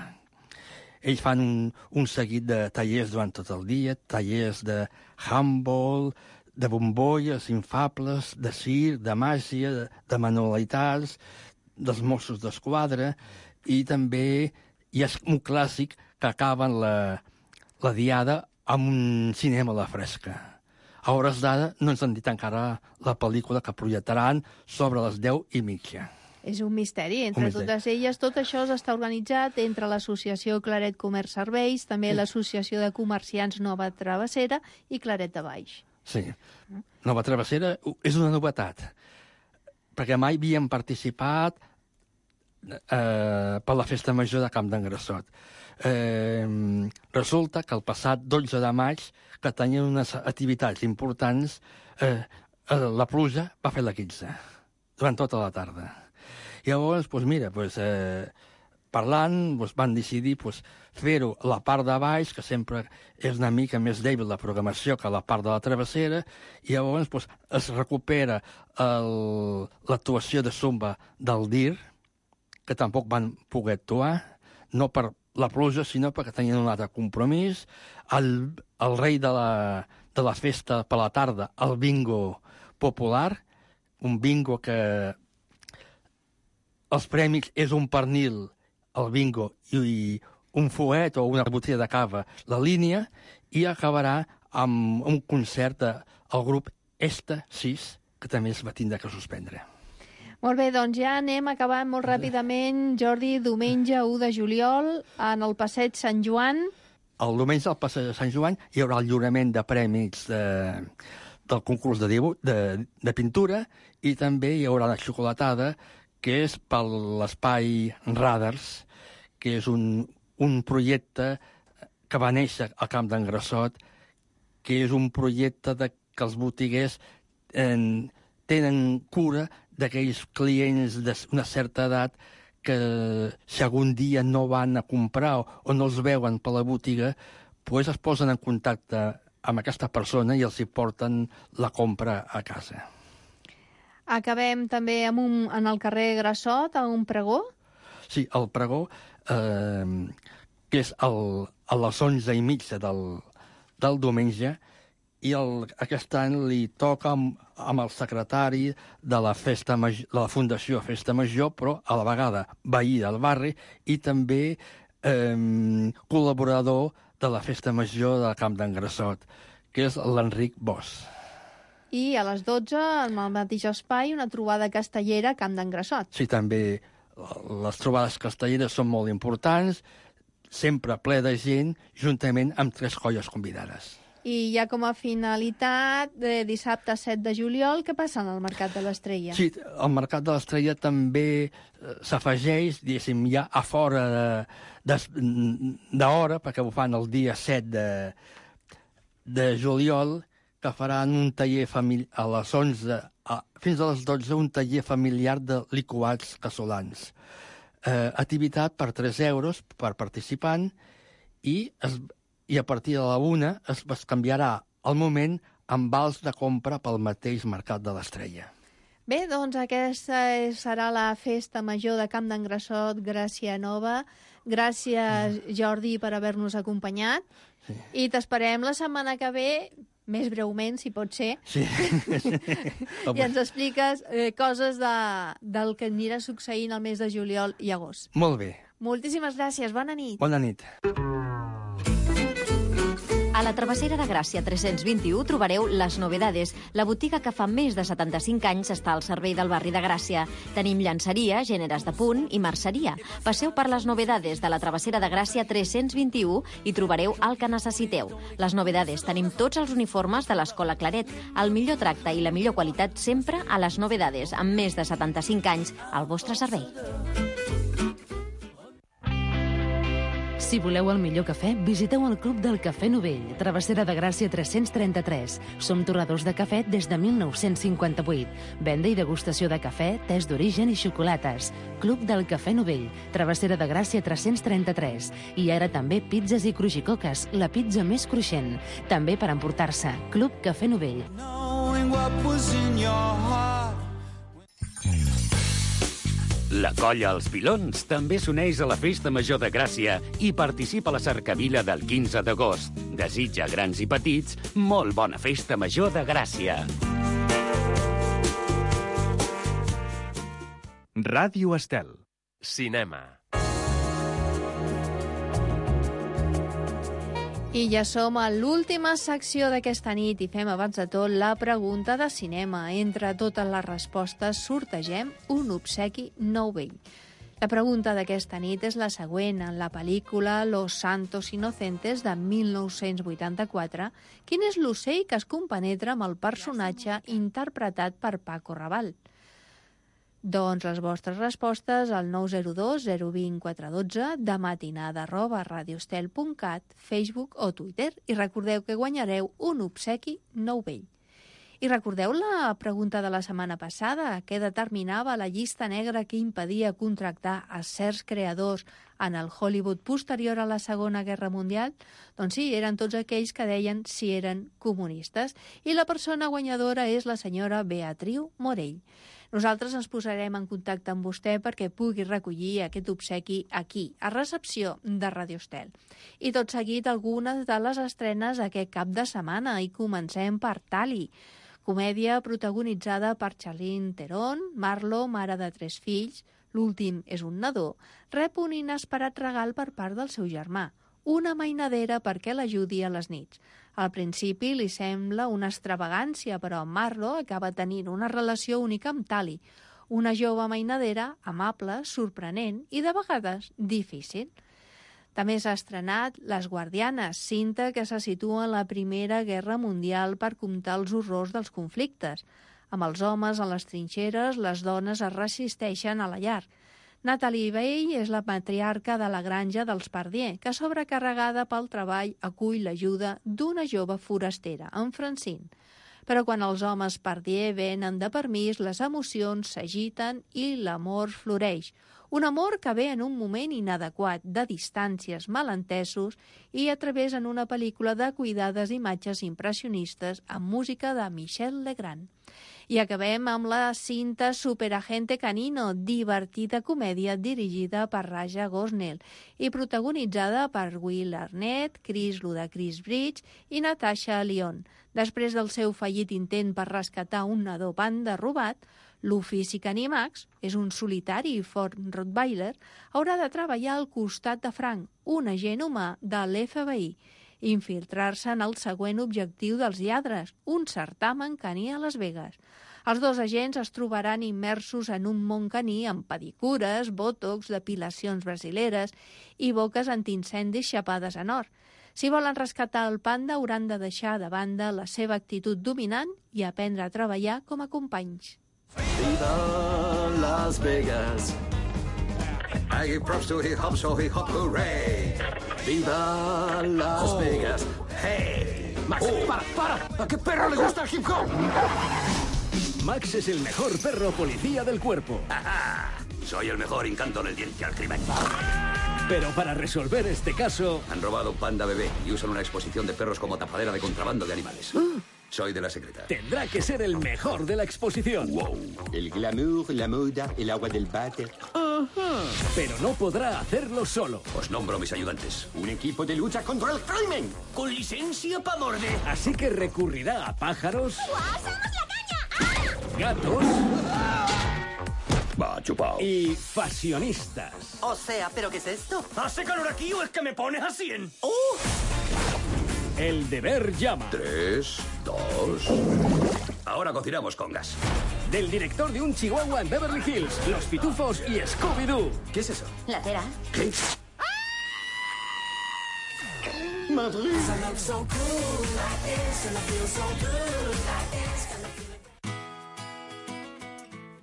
Ells fan un seguit de tallers durant tot el dia, tallers de handball, de bombolles infables, de circ, de màgia, de manualitats, dels Mossos d'Esquadra, i també hi ha un clàssic que acaben la diada amb un cinema a la fresca. A hores d'ara no ens han dit encara la pel·lícula que projectaran sobre les 10:30. És un misteri. Entre totes elles, tot això està organitzat entre l'Associació Claret Comerç Serveis, també l'Associació de Comerciants Nova Travessera i Claret de Baix. Sí. Nova Travessera és una novetat, perquè mai havíem participat per la Festa Major de Camp d'en Grassot. Resulta que el passat 12 de maig, que tenien unes activitats importants, la pluja va fer la 15, durant tota la tarda. I llavors, parlant, van decidir fer-ho a la part de baix, que sempre és una mica més dèbil la programació que la part de la travessera, i llavors es recupera l'actuació de Zumba del DIR, que tampoc van poder actuar, no per la pluja, sinó perquè tenien un altre compromís. El rei de la festa per la tarda, el bingo popular, un bingo que els premis és un pernil, el bingo, i un fuet o una botella de cava, la línia, i acabarà amb un concert del grup Esta 6, que també es va tindre que suspendre. Molt bé, doncs ja anem acabant molt ràpidament. Jordi, diumenge 1 de juliol, en el passeig Sant Joan. El diumenge al passeig de Sant Joan hi haurà el lliurament de premis del concurs de pintura, i també hi haurà la xocolatada, que és per l'espai Radars, que és un projecte que va néixer al Camp d'en Grassot, que és un projecte que els botiguers tenen cura d'aquells clients d'una certa edat que si algun dia no van a comprar o no els veuen per la botiga, doncs es posen en contacte amb aquesta persona i els hi porten la compra a casa. Acabem també en el carrer Grassot, a un pregó? Sí, el pregó, que és a les 11:30 del diumenge, i aquest any li toca amb el secretari de la Fundació Festa Major, però a la vegada veí del barri i també col·laborador de la Festa Major del Camp d'en Grassot, que és l'Enric Bosch. I a les 12, en el mateix espai, una trobada castellera a Camp d'en Grassot. Sí, també les trobades castelleres són molt importants, sempre ple de gent, juntament amb 3 colles convidades. I ja com a finalitat, dissabte 7 de juliol, què passa en el Mercat de l'Estrella? Sí, el Mercat de l'Estrella també s'afegeix, diguéssim, ja a fora d'hora, perquè ho fan el dia 7 de juliol, que faran un taller a les 11 fins a les 12, un taller familiar de liquats casolans. Activitat per 3 euros per participant i a partir de la 1 es canviarà el moment amb vals de compra pel mateix Mercat de l'Estrella. Bé, doncs aquesta serà la festa major de Camp d'en Grassot, Gràcia Nova. Gràcies, Jordi, per haver-nos acompanyat. Sí. I t'esperem la setmana que ve, més breument, si pot ser. Sí. I ens expliques coses del que anirà succeint el mes de juliol i agost. Molt bé. Moltíssimes gràcies. Bona nit. Bona nit. A la Travessera de Gràcia 321 trobareu Les Novedades, la botiga que fa més de 75 anys està al servei del barri de Gràcia. Tenim llançeria, gèneres de punt i merceria. Passeu per Les Novedades de la Travessera de Gràcia 321 i trobareu el que necessiteu. Les Novedades, tenim tots els uniformes de l'Escola Claret. El millor tracte i la millor qualitat sempre a Les Novedades, amb més de 75 anys al vostre servei. Si voleu el millor cafè, visiteu el Club del Cafè Novell, Travessera de Gràcia 333. Som torradors de cafè des de 1958. Venda i degustació de cafè, tés d'origen i xocolates. Club del Cafè Novell, Travessera de Gràcia 333. I ara també pizzas i crujicoques, la pizza més cruixent. També per emportar-se. Club Cafè Novell. La colla Els Pilons també s'uneix a la Festa Major de Gràcia i participa a la cercavila del 15 d'agost. Desitja grans i petits molt bona Festa Major de Gràcia. Ràdio Estel. Cinema. I ja som a l'última secció d'aquesta nit i fem abans de tot la pregunta de cinema. Entre totes les respostes sortegem un obsequi nou vell. La pregunta d'aquesta nit és la següent. En la pel·lícula Los Santos Inocentes de 1984, quin és l'ocell que es compenetra amb el personatge interpretat per Paco Rabanne? Doncs les vostres respostes al 902 020 412, de matinada@radioestel.cat, Facebook o Twitter. I recordeu que guanyareu un obsequi nou vell. I recordeu la pregunta de la setmana passada, que determinava la llista negra que impedia contractar a certs creadors en el Hollywood posterior a la Segona Guerra Mundial? Doncs sí, eren tots aquells que deien si eren comunistes. I la persona guanyadora és la senyora Beatriu Morell. Nosaltres ens posarem en contacte amb vostè perquè pugui recollir aquest obsequi aquí, a recepció de Radio Estel. I tot seguit algunes de les estrenes aquest cap de setmana. I comencem per Tali, comèdia protagonitzada per Charlize Theron. Marlo, mare de 3 fills, l'últim és un nadó, rep un inesperat regal per part del seu germà, una mainadera perquè l'ajudi a les nits. Al principi li sembla una extravagància, però Marlo acaba tenint una relació única amb Tali, una jove mainadera amable, sorprenent i de vegades difícil. També s'ha estrenat Les Guardianes, cinta que se situa en la Primera Guerra Mundial per comptar els horrors dels conflictes. Amb els homes a les trinxeres, les dones es resisteixen a la llar. Natalie Bay és la matriarca de la granja dels Pardier, que sobrecarregada pel treball acull l'ajuda d'una jove forastera, en Francine. Però quan els homes Pardier venen de permís, les emocions s'agiten i l'amor floreix. Un amor que ve en un moment inadequat, de distàncies, malentesos, i a través en una pel·lícula de cuidades imatges impressionistes amb música de Michel Legrand. I acabem amb la cinta Superagente Canino, divertida comèdia dirigida per Raja Gosnell i protagonitzada per Will Arnett, Chris Ludacris Bridge i Natasha Lyonne. Després del seu fallit intent per rescatar un nadó panda robat, l'ofici Canimax, és un solitari i fort Rottweiler, haurà de treballar al costat de Frank, un agent humà de l'FBI. infiltrar-se en el següent objectiu dels lladres, un certamen caní a Las Vegas. Els dos agents es trobaran immersos en un món caní amb pedicures, botox, depilacions brasileres i boques antiincendis xapades en or. Si volen rescatar el panda, hauran de deixar de banda la seva actitud dominant i aprendre a treballar com a companys. Viva Las Vegas! I give props to hip hop, so hip hop, hooray! Viva Las Vegas! Hey! Max, para! ¿A qué perro le gusta el hip hop? Max es el mejor perro policía del cuerpo. Soy el mejor hincándole el diente al crimen. Pero para resolver este caso... Han robado un panda bebé y usan una exposición de perros como tapadera de contrabando de animales. Soy de la secreta. Tendrá que ser el mejor de la exposición. Wow. El glamour, la moda, el agua del váter. Pero no podrá hacerlo solo. Os nombro mis ayudantes. Un equipo de lucha contra el crimen. Con licencia para morder. Así que recurrirá a pájaros... gatos... Va, chupao. Y fashionistas. O sea, ¿pero qué es esto? ¿Hace calor aquí o es que me pones a 100? El deber llama. 3, 2... Ahora cocinamos con gas. Del director de Un Chihuahua en Beverly Hills, Los Pitufos y Scooby-Doo. ¿Qué es eso? La cera. ¿Qué? Madrid.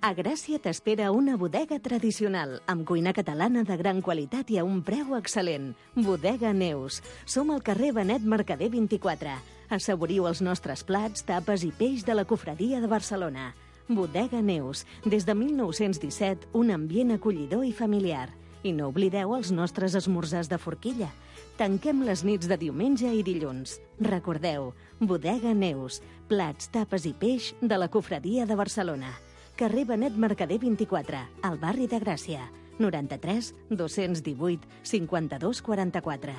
A Gràcia t'espera una bodega tradicional, amb cuina catalana de gran qualitat i a un preu excel·lent. Bodega Neus. Som al carrer Benet Mercader 24. Assaboriu els nostres plats, tapes i peix de la Cofradia de Barcelona. Bodega Neus. Des de 1917, un ambient acollidor i familiar. I no oblideu els nostres esmorzars de forquilla. Tanquem les nits de diumenge i dilluns. Recordeu, Bodega Neus. Plats, tapes i peix de la Cofradia de Barcelona. Carrer Benet Mercader 24, al barri de Gràcia. 93 218 52 44.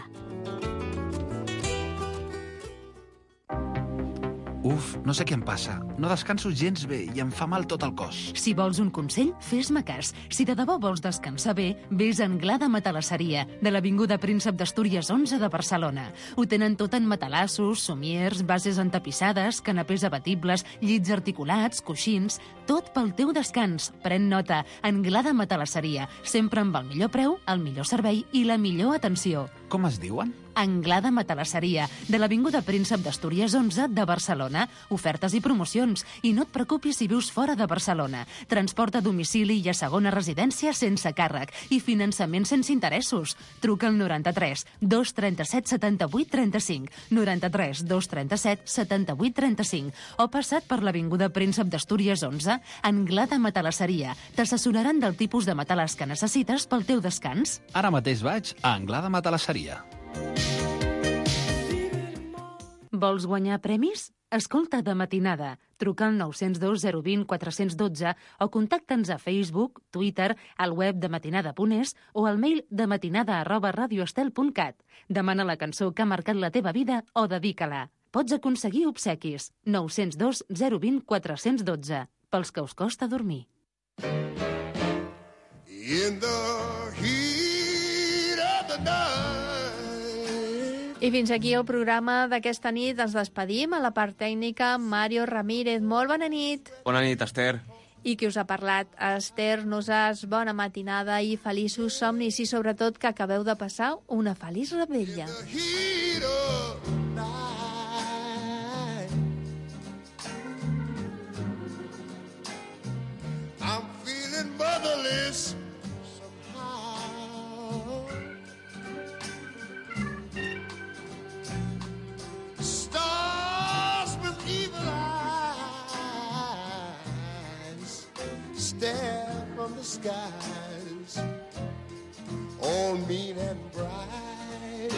Uf, no sé què em passa. No descanso gens bé i em fa mal tot el cos. Si vols un consell, fes-me cas. Si de debò vols descansar bé, vés a Anglada Matalasseria, de l'Avinguda Príncep d'Astúries 11 de Barcelona. Ho tenen tot en matalassos, somiers, bases entapissades, canapés abatibles, llits articulats, coixins... Tot pel teu descans. Pren nota. Anglada Matalasseria. Sempre amb el millor preu, el millor servei i la millor atenció. Com es diuen? Anglada Matalasseria, de l'Avinguda Príncep d'Astúries 11 de Barcelona. Ofertes i promocions. I no et preocupis si vius fora de Barcelona. Transport a domicili i a segona residència sense càrrec. I finançament sense interessos. Truca al 93 237 78 35, 93 237 78 35 o passat per l'Avinguda Príncep d'Astúries 11, Anglada Matalasseria. T'assessoraran del tipus de matalàs que necessites pel teu descans. Ara mateix vaig a Anglada Matalasseria. Vols guanyar premis? Escolta de matinada. Truca al 902 020 412 o contacta'ns a Facebook, Twitter, al web de matinada.es o al mail dematinada@radioestel.cat. Demana la cançó que ha marcat la teva vida o dedica-la. Pots aconseguir obsequis. 902 020 412. Pels que us costa dormir. In the heat of the night. I fins aquí el programa d'aquesta nit. Ens despedim. A la part tècnica, Mario Ramírez. Molt bona nit. Bona nit, Esther. I qui us ha parlat? Esther Nosàs. Bona matinada i feliços somnis i sobretot que acabeu de passar una feliç revetlla. I'm feeling motherless somehow. Stars with evil eyes stare from the skies, all mean and bright.